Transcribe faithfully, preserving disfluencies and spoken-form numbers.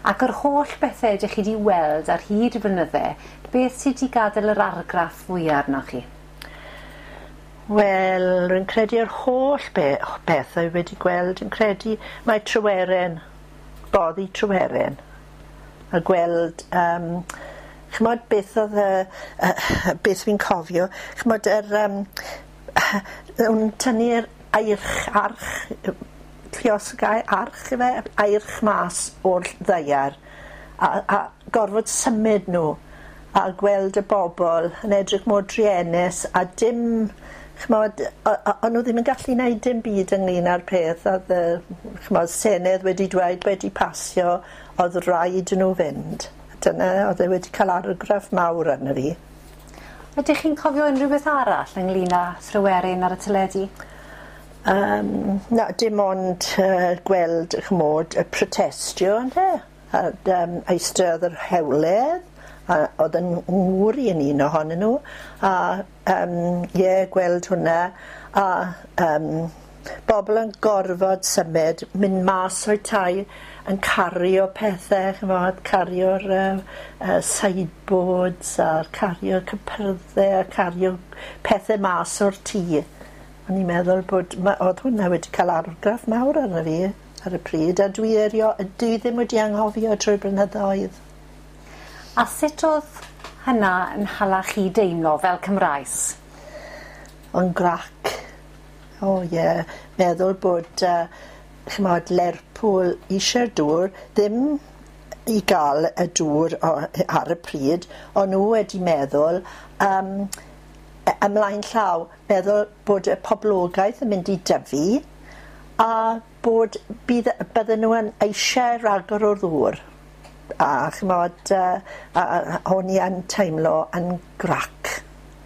Ac yr holl bethau ydych chi wedi weld ar hyd y blynydde, beth sydd wedi gadael yr argraff fwyaf arnoch chi? Wel, rwy'n credu yr holl be bethau wedi gweld, yn credu mae Tryweryn, boddi Tryweryn, a gweld, um, ch'mod beth oedd y, uh, beth fi'n cofio, ch'mod yr, um, o'n tynnu'r eirch, arch, lluosgau arch ife, eirch mas o'r ddaear, a, a gorfod symud nhw, a gweld y bobl yn edrych mor druenus, a dim, ch'mod, o'n nhw ddim yn gallu gwneud dim byd ynglyn â'r peth, oedd y, ch'mod, Senedd wedi dweud, wedi pasio, oedd rhaid nhw fynd. Dyna, oedd e wedi cael argraff mawr arno fi. Ydych chi'n cofio unrhyw beth arall ynglyn â Thryweryn ar y teledu? Um, na, dim ond uh, gweld, ch'mod, y protestio, ynde? A um, eistedd yr hewlydd, a oedd yn ngŵr i yn un ohonyn nhw, a um, ie, gweld hwnna, a um, bobl yn gorfod symud, mynd mas o'i tai, yn cario pethau, ch'mod, cario'r uh, uh, sideboards, a cario cypyrddau, a cario pethau mas o'r tŷ. O'n i'n meddwl bod, ma, oedd hwnna wedi cael argraff mawr arno fi ar y pryd, a dwi, erio, dwi ddim wedi anghofio trwy blynyddoedd. A sut oedd hynna yn hala chi deimlo fel Cymraes? O'n grac. O ie, yeah. Meddwl bod, uh, ch'mod, Lerpwl eisiau'r dŵr, ddim i gael y dŵr o, ar y pryd, o'n nhw wedi meddwl, um, ymlaen llaw, meddwl bod y poblogaeth yn mynd i dyfu a bod bydd, bydden nhw yn eisiau rhagor o'r ddŵr. A ch'mod, uh, a, a, o'n i yn teimlo yn grac.